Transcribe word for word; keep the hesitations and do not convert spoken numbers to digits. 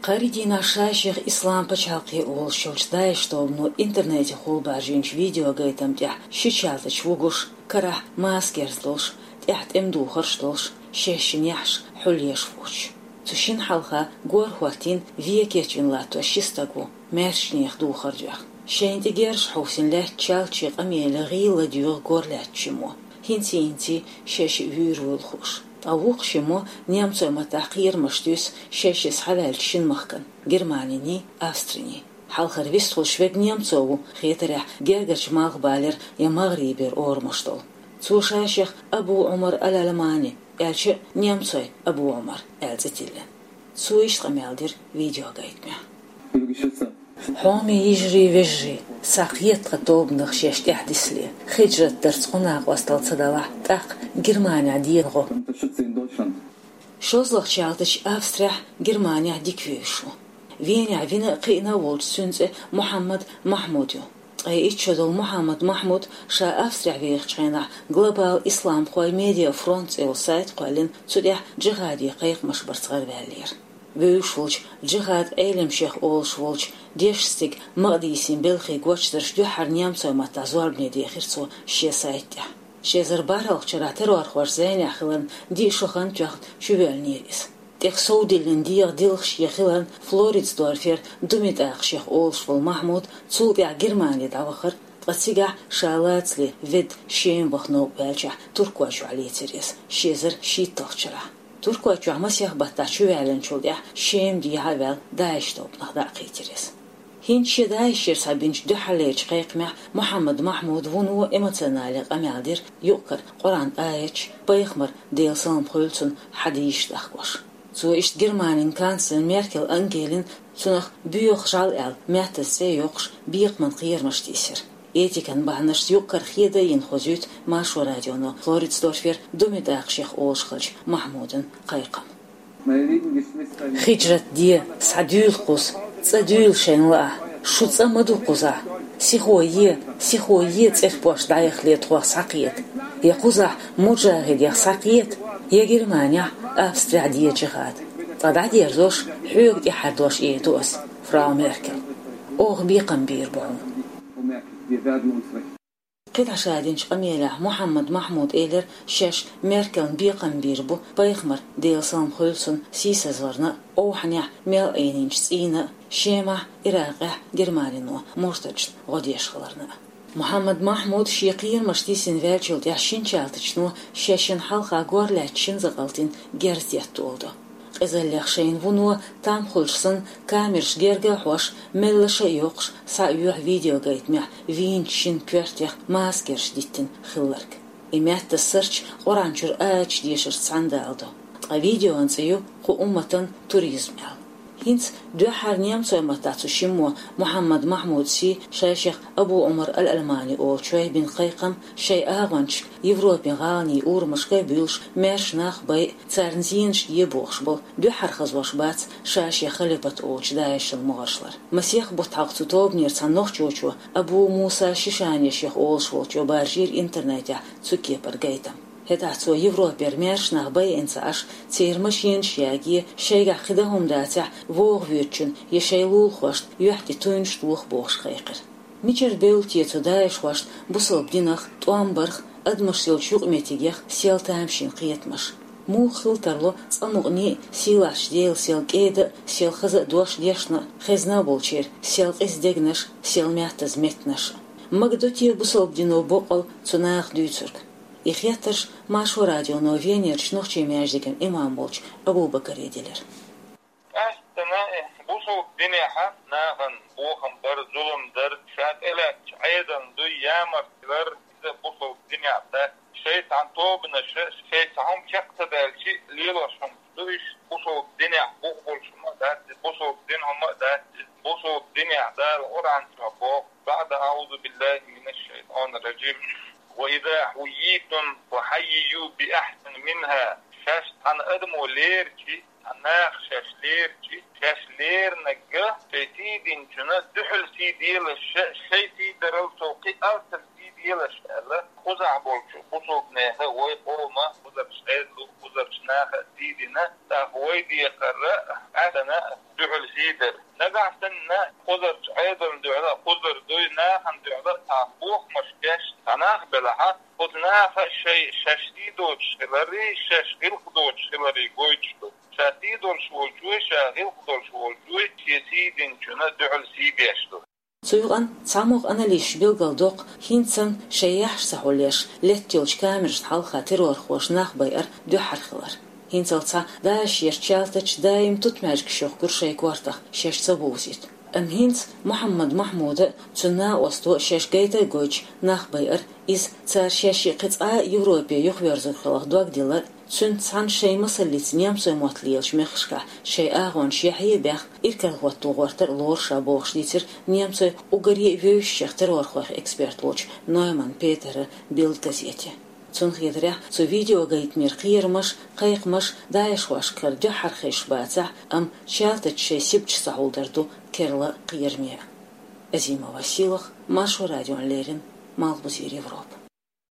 Кхаридийнахь ша-шех Ислам пачхьалкхе олуш йолчу ДАИШ тобано интернете хулабаьржинчу видеогайтам тӀехь шича ялтачу вугуш, карахь маска герз долуш, тӀехь тӀеман духарш долуш, шаьш шина яхьаш хьулъеш воцуш. Цу шина хьалха гор хӀоттийна вен кечвина латтош ши стаг ву, маьршачу нехан духар доьхна. Шайна тӀе герзаш хьовсийна лаьттачу ялтачийн къамеле гӀийла ладоьгӀу гор лаьттачу шиммо. ХӀинций-хӀинций шаьш вуьйр вуйла хууш. Ткъа вукху шиммо немцойн маттахь кхерамаш туьйсу шаьш схьаваьллачу шина махкана, Германиний, Австриний. Хьалхара вистхуьлуш верг немцо ву, хетарехь, гергарчу малхбалера я магӀарибера орамаш долу. Цо ша-шех Абу Ӏумар аль-Ӏаламани, аьлча а немцойн Абу Ӏумар аьлла цӀе тиллина. Цо иштта къамел дира видеогайтамехь. Хьоме йижарий, вежарий, схьакхета тхан тобанах шаьш тӀаьхьадисале, хиджрат дарца кху накъосталла ца далахь, тӀаккха Германехь дехар гӀо. ШозлагӀчу ялтачу Австрехь, Германехь дика вевзаш ву. Венехь вина а, кхиъна а волчу цуьнан цӀе Мухьаммад Махьмуд ю. Ткъе итт шо долу Мухьаммад Махьмуд ша Австрехь вехачу хенахь Глобал исламхойн медиафронт цӀе йолу сайт кхоьллина, цу тӀехь джихаде кхайкхамаш барца гӀараваьллера. Вевзаш волчу джихад Ӏелам шех олуш волчу дешна стеган Макъдисин белхий гочдарш дуьххьара немцойн маттахь зорбане дехира цо шен сайт тӀехь. Ши эзар бархӀалгӀачу шарахь террорхоша зӀенехь хиларна диъ шо хан тоьхна чувоьллинера иза. ТӀаккха совдиллина дегӀан дилхаш я хиларна Флоридсдорфера Думитакъ шех олуш волу Махьмуд цул тӀаьхьа Германе дӀавахара, ткъа цигахь ша лацале ведда Шема ваха новкъа ваьллачохь Туркойчохь лецира иза ши эзар шийтталгӀачу шарахь. Туркойчохь масех баттахь чуваьллинчул тӀаьхьа Шема дехьа а ваьлла, ДАИШ тобанах дӀа а кхийтира иза. ХӀинца шен ДАИШера схьабинчу дуьххьарлерчу кхайкхамехь Мухьаммад Махьмуда вуно эмоционале къамел дира, юкъ-кара Къуръан аяташ, пайхамаран, Делан салам хуьлда цунна, хьадисаш дахкош. Цо иштта Германин канцлер Меркель Ангелина цунах боьха жӀаьла аьлла, маьттаза цӀе а йоккхуш, бекхаман кхерамаш тийсира. Этикан бахьанашца юкъ-кара хеда а йина хозуьйту Маршо радионо Флоридсдорфера Думитакъ шех олуш хиллачу Махьмудан кхайкхам. Хиджрат де, схьадуьйла кхуза, цӀа дуьйла шайна лаахь, шу цӀа ма ду кхузахь. Сихо е, сихо е, цӀерпошт дӀаяхале тхох схьакхета. Я кхузахь муджахидех схьакхета, я Германехь, Австрехь де джихад. Ткъа дӀадерзош, хьоьга тӀехьардош эр ду ас, фрау Меркель. Оха бекхам бийр бу хьуна. КхидӀа ша динчу къамелехь Мухьаммад Махьмуда элира, шаьш Меркелна бекхам бийр бу пайхамаран, Делан салам хуьлда цунна, сийсазварна а, овхӀанехь мел Ӏийнинчу цӀийнна а, Шемахь, Иракъехь Германино муртадашна гӀо деш хиларна а. Мухьаммад Махьмуд шен кхерамаш тийсина ваьллачул тӀаьхьа шинчалатачно шаьш шина хьалха гор лаьттачу шина закъалтана герз детта олу до. Къизаллех шайна вуно, там хуьлуш санна, камераш герга а хьош, меллаша а йоккхуш, схьаоьху видеогайтамехь вийначу шина коьртех маскерш диттина хилларг. И маьттаза сарч Къуръан чуьра аяташ дешарца цхьаьна дала до. Ткъа видеон цӀе ю «Кху умматан туризм» аьлла. ХӀинца дуьххьара немцойн маттахь цу шиммо Мухьаммад Махьмудан сий, ша-шех Абу Ӏумар аль-Ӏаламани олучой бина кхайкхам, шайн агӀончашка Европин гӀаланийн урамашка а буьйлуш, маьрша нах а байъа, царна зенаш де бохуш болу, дуьххьара хазош бац ша-шен халифат олучу ДАИШан могӀаршлара. Масех бутт хьалха цу тобанера цхьана нохчочо, Абу Муса Шишани шех олуш волчо баржийра интернетехь цу кепара гайтам. ХӀетахь цо Европера маьрша нах байина ца Ӏаш, церан машенаш яге, шайгахь кхин дан хӀума дацахь, вогӀу воьдучунна я шайн лулахошна юьхь тӀе туьйнаш тоха бохуш кхайкхира. Мичара бевлла те цу даишхошна бусалба динах, тӀом барх, адамашца йолчу юкъаметтигех сел тамашийна кхетамаш? Муха хила тарло цкъа мукъане а сийлахьчу Делан сел кӀеда а, сел хаза а дош дешна а, хезна а болчеран сел къиза дегнаш а, сел маьттаза меттанаш а? Магадо те бусалба дино боккъал цу наха дуьйцург? И хеттарш Маршо радионо Венерчу нохчийн маьждиган имам волчу Абу-Бакаре делира. Къаьсттина бусалба динехь нахана бохам бар, зулам дар, ша тӀелаьцначу Ӏедална дуй ямартлар, иза бусалба динехь дац. Шайн цхьана тобанаша, шайн цхьа хӀума чекх ца даьлча, лелош хӀума ду уьш, бусалба динехь бух болуш хӀума а дац, бусалба дин хӀума а дац, бусалба динехь Дала Къуръан чохь боху: بعد أعوذ بالله من الشيطان الرجيم. وإذا حييتم فحيوا بأحسن منها. Шаьш цхьана адамо лерчи, цхьана наха шаьш лерчи, шаьш лернарг шайн сий динчунна дуьхьал сий делаш, шайн сий дарал сов кхин алсам сий делаш аьлла, кхузахь болчу бусалба нехан, вай къоман, кхузарчу Ӏедалан, кхузарчу нахана сий дина, ТӀаккха вай декхар а, Ӏаьсана а дуьхьал сий дар. Нагахь санна кхузарчу Ӏедална дуьхьал а, кхузара дуй нахана дуьхьал а цхьа бохамаш беш, цхьа нах белахь а, оцу наха шай, шаьш сий доцуш хиларий, шаьш гӀиллакх доцуш хиларий гойтуш ду. Ша сий долуш волчуй, ша гӀиллакх долуш волчуй, шен сий динчунна дуьхьал сий беш ду. Цу юкъанна цхьамогӀа аналитикаша билгалдоккху хӀинца санна шайн яхьаш ца хьулъеш, летта йолчу камерашна хьалха террорхоша нах байар дуьххьара хилар. ХӀинцалц ДАИШ-ера чалтача даим тутмаьжгаш йохкура шайн кортах шаьш ца бовзийта. Амма хӀинца Мухьаммад Махьмуда а, цуьнан накъосто а шаьш гайта а гойтуш нах байар, иза цара шаьшшиъ кхин цкъа а Европе юхаверзор хиларх дог дилар, цуьнца цхьаьна шайн масаллица немцойн мотт лелачу мехкашкахь шайн агӀонаш яхье а баьхна, иракарахӀотто гӀортар а лору ша бохуш дийцира немцойн уггаре а вевзачех террорхойх эксперт волчу Нойман Петера Бильд газете. Цунна хетарехь, цу видеогайтамера кхерамаш, кхайкхамаш ДАИШ-хошкара дуьххьара хезаш бацахь а, амма чалтача шайн сибаташ ца хьулдар ду керла кхераме а. Азима Василах, Маршо радиона леррина, Малхбузера Европа.